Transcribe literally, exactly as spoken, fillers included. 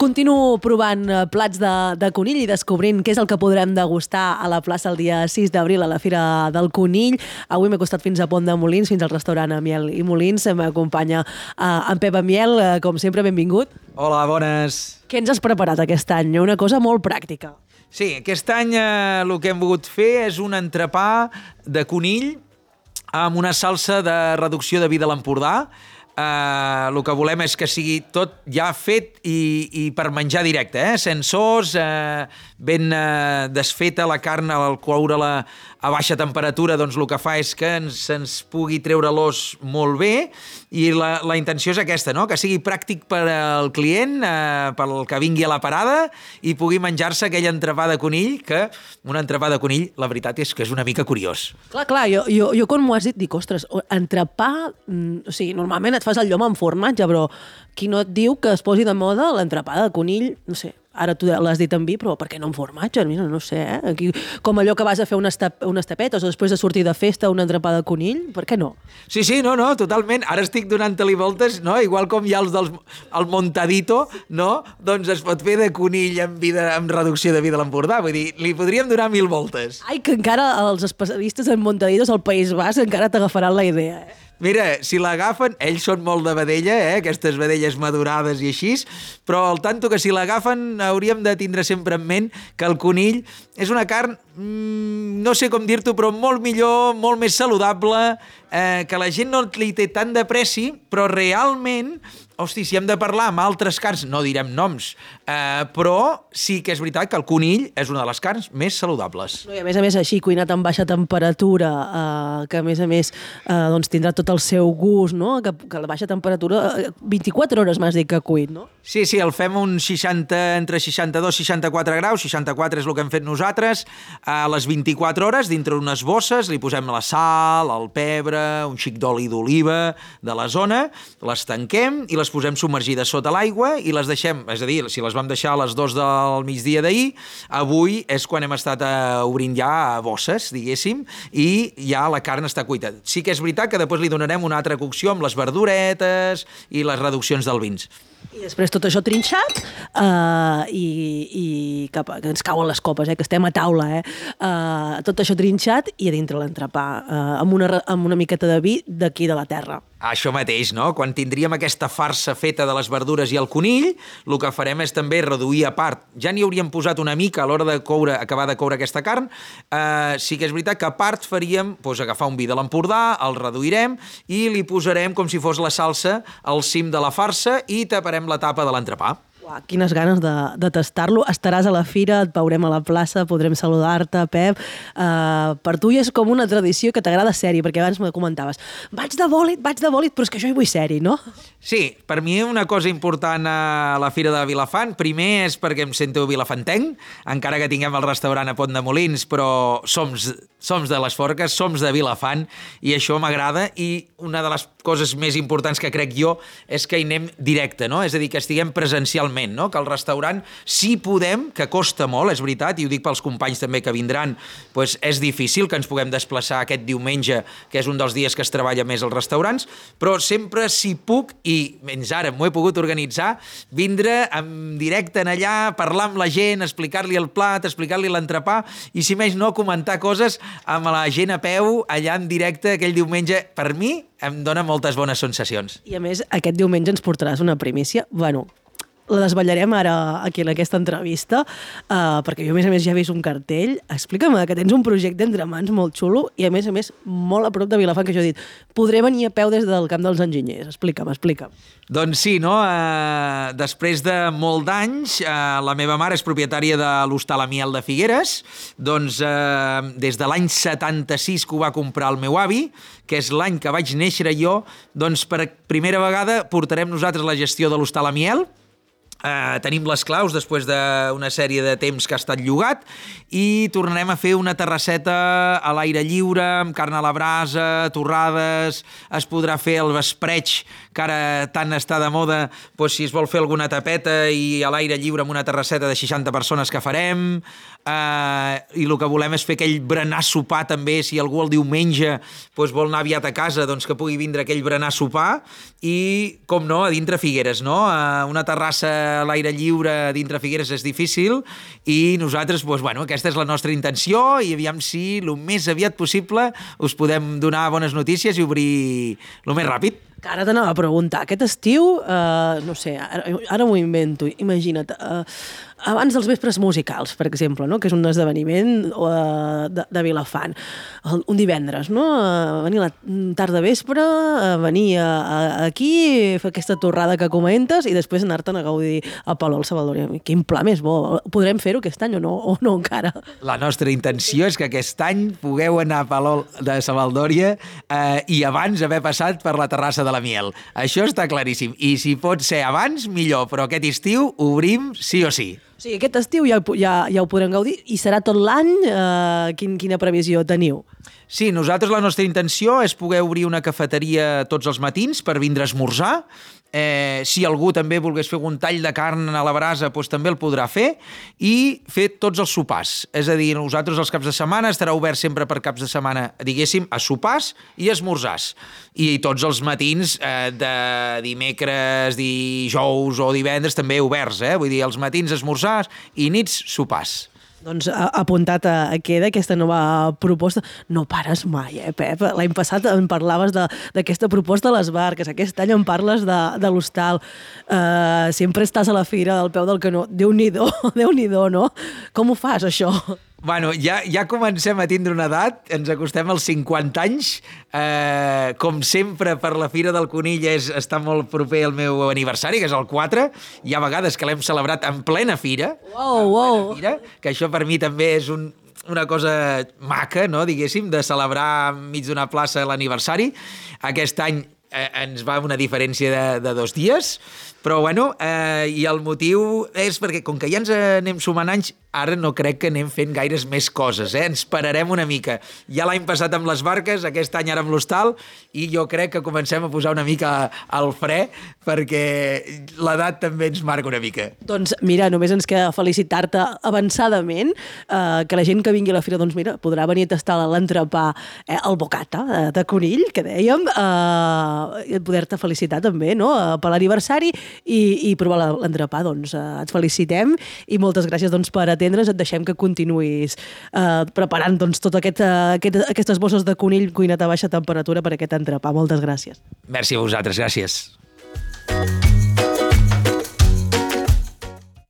Continuo provant plats de, de conill i descobrint què és el que podrem degustar a la plaça el dia sis d'abril a la Fira del Conill. Avui m'he costat fins a Pont de Molins, fins al restaurant Amiel i Molins. M'acompanya uh, en Pep Amiel, uh, com sempre, benvingut. Hola, bones. Què ens has preparat aquest any? Una cosa molt pràctica. Sí, aquest any eh, el que hem volgut fer és un entrepà de conill amb una salsa de reducció de vi de l'Empordà. Uh, el que volem és que sigui tot ja fet i, i per menjar directe, eh? Sense os, uh, ben uh, desfeta la carn al coure-la a baixa temperatura, doncs el que fa és que ens, ens pugui treure l'os molt bé, i la, la intenció és aquesta, no? Que sigui pràctic per al client, uh, pel que vingui a la parada, i pugui menjar-se aquell entrepà de conill, que un entrepà de conill, la veritat és que és una mica curiós. Clar, clar, jo, jo, jo quan m'ho has dit, dic, ostres, entrepà, mm, o sigui, normalment et fas el llom amb formatge, però qui no et diu que es posi de moda l'entrepà de conill, no sé, ara tu l'has dit amb vi, però per què no amb formatge? Mira, no sé, eh? Aquí, com allò que vas a fer unes, tap, unes tapetes o després de sortir de festa un entrepà de conill, per què no? Sí, sí, no, no, totalment. Ara estic donant-te-li voltes, no? Igual com hi ha els del el montadito, no? Doncs es pot fer de conill amb, vida, amb reducció de vi de l'Empordà. Vull dir, li podríem donar mil voltes. Ai, que encara els especialistes en montaditos al País Basc encara t'agafaran la idea, eh? Mira, si l'agafen, ells són molt de vedella, eh? Aquestes vedelles madurades i així, però al tanto que si l'agafen hauríem de tindre sempre en ment que el conill és una carn, mmm, no sé com dir-t'ho, però molt millor, molt més saludable, eh, que la gent no li té tant de preci, però realment, hosti, si hem de parlar amb altres carns, no direm noms, eh, però sí que és veritat que el conill és una de les carns més saludables. No, i a més a més, així, cuinat amb baixa temperatura, eh, que a més a més eh, doncs tindrà tot el seu gust, no? Que, que a la baixa temperatura, eh, vint-i-quatre hores m'has dit que cuit, no? Sí, sí, el fem un seixanta, entre seixanta-dos i seixanta-quatre graus, seixanta-quatre és el que hem fet nosaltres, a les vint-i-quatre hores, dintre unes bosses, li posem la sal, el pebre, un xic d'oli d'oliva de la zona, les tanquem i les posem submergides sota l'aigua i les deixem, és a dir, si les vam deixar a les dues del migdia d'ahir, avui és quan hem estat eh, obrint ja bosses, diguéssim, i ja la carn està cuita. Sí que és veritat que després li donarem una altra cocció amb les verduretes i les reduccions dels vins. I després tot això trinxat uh, i, i cap, que ens cauen les copes, eh, que estem a taula, eh? Uh, tot això trinxat i a dintre l'entrepà, uh, amb, una, amb una miqueta de vi d'aquí de la terra. Això mateix, no? Quan tindríem aquesta farsa feta de les verdures i el conill, el que farem és també reduir a part. Ja n'hi hauríem posat una mica a l'hora de coure, acabar de coure aquesta carn. Uh, sí que és veritat que a part faríem doncs, agafar un vi de l'Empordà, el reduirem i li posarem com si fos la salsa al cim de la farsa i taparem la tapa de l'entrepà. Uah, quines ganes de, de tastar-lo. Estaràs a la fira, et veurem a la plaça, podrem saludar-te, Pep. Uh, per tu ja és com una tradició que t'agrada ser-hi, perquè abans me comentaves vaig de bòlit, vaig de bòlit, però és que jo hi vull ser-hi, no? Sí, per mi una cosa important a la Fira de Vilafant, primer és perquè em sento vilafantenc, encara que tinguem el restaurant a Pont de Molins, però som, som de les Forques, som de Vilafant, i això m'agrada, i una de les coses més importants que crec jo és que hi anem directe, no? És a dir, que estiguem presencialment, no? Que el restaurant, si podem, que costa molt, és veritat, i ho dic pels companys també que vindran, doncs és difícil que ens puguem desplaçar aquest diumenge, que és un dels dies que es treballa més als restaurants, però sempre si puc, i menys ara m'ho he pogut organitzar, vindre en directe en allà, parlar amb la gent, explicar-li el plat, explicar-li l'entrepà, i si més no, comentar coses amb la gent a peu, allà en directe aquell diumenge. Per mi em dona moltes bones sensacions. I a més, aquest diumenge ens portaràs una primícia, bueno, la desvetllarem ara aquí en aquesta entrevista, uh, perquè jo a més a més ja he vist un cartell. Explica'm que tens un projecte entre mans molt xulo i a més a més molt a prop de Vilafant, que jo he dit, podré venir a peu des del Camp dels Enginyers. Explica'm, explica'm. Doncs sí, no? Uh, després de molt d'anys, uh, la meva mare és propietària de l'Hostal Amiel de Figueres, doncs uh, des de l'any setanta-sis que ho va comprar el meu avi, que és l'any que vaig néixer jo, doncs per primera vegada portarem nosaltres la gestió de l'Hostal Amiel. Uh, tenim les claus després d'una sèrie de temps que ha estat llogat i tornarem a fer una terrasseta a l'aire lliure, amb carn a la brasa, torrades, es podrà fer el vespreig, que ara tant està de moda, doncs si es vol fer alguna tapeta i a l'aire lliure amb una terrasseta de seixanta persones que farem, uh, i el que volem és fer aquell berenar sopar també, si algú el diumenge doncs vol anar aviat a casa, doncs que pugui vindre aquell berenar sopar, i com no, a dintre Figueres, no? Uh, una terrassa a l'aire lliure dintre Figueres és difícil i nosaltres, doncs, bueno, aquesta és la nostra intenció i aviam si el més aviat possible us podem donar bones notícies i obrir el més ràpid. Que ara t'anava a preguntar, aquest estiu, eh, no sé, ara, ara m'ho invento, imagina't, eh, abans dels vespres musicals, per exemple, no? Que és un esdeveniment eh, de, de Vilafant, un divendres, no? Eh, venir a la tarda vespre, eh, venir a, a, aquí, fer aquesta torrada que comentes i després anar-te'n a gaudir a Palol Savaldòria. Quin pla més bo. Podrem fer-ho aquest any o no, o no encara? La nostra intenció és que aquest any pugueu anar a Palol de Savaldòria eh, i abans haver passat per la terrassa de la Miel. Això està claríssim. I si pot ser abans, millor, però aquest estiu obrim sí o sí. O sigui, aquest estiu ja, ja, ja ho podrem gaudir i serà tot l'any? Eh, quin, quina previsió teniu? Sí, nosaltres la nostra intenció és poder obrir una cafeteria tots els matins per vindre a esmorzar. Eh, si algú també volgués fer un tall de carn a la brasa, doncs també el podrà fer, i fer tots els sopars. És a dir, nosaltres els caps de setmana estarà obert sempre per caps de setmana, diguéssim, a sopars i a esmorzars. I tots els matins eh, de dimecres, dijous o divendres també oberts, eh? Vull dir, els matins esmorzars i nits sopars. Doncs apuntat a, a queda aquesta nova proposta. No pares mai, eh, Pep? L'any passat em parlaves d'aquesta proposta de les barques, aquest any em parles de, de l'hostal. Uh, sempre estàs a la fira al peu del canó. Déu-n'hi-do, Déu-n'hi-do, no? Com ho fas, això? Bueno, ja, ja comencem a tindre una edat, ens acostem als cinquanta anys, eh, com sempre per la Fira del Conill és, està molt proper al meu aniversari, que és el quatre, hi ha vegades que l'hem celebrat en plena fira, wow, wow. En plena fira, que això per mi també és un, una cosa maca, no, diguéssim, de celebrar enmig d'una plaça l'aniversari. Aquest any eh, ens va una diferència de, de dos dies, però bueno, eh, i el motiu és perquè com que ja ens anem sumant anys, ara no crec que anem fent gaires més coses, eh? Ens pararem una mica. Ja l'any passat amb les barques, aquest any ara amb l'hostal, i jo crec que comencem a posar una mica al fre, perquè l'edat també ens marca una mica. Doncs mira, només ens queda felicitar-te avançadament, eh, que la gent que vingui a la fira, doncs mira, podrà venir a tastar l'entrepà, eh, el bocata eh, de conill, que dèiem, eh, poder-te felicitar també, no?, eh, per l'aniversari i, i provar l'entrepà. Doncs eh, et felicitem i moltes gràcies doncs, per atendre. Et deixem que continuïs eh, preparant doncs, tot aquest, uh, aquest, aquestes bosses de conill cuinat a baixa temperatura per aquest entrepà. Moltes gràcies. Merci a vosaltres, gràcies.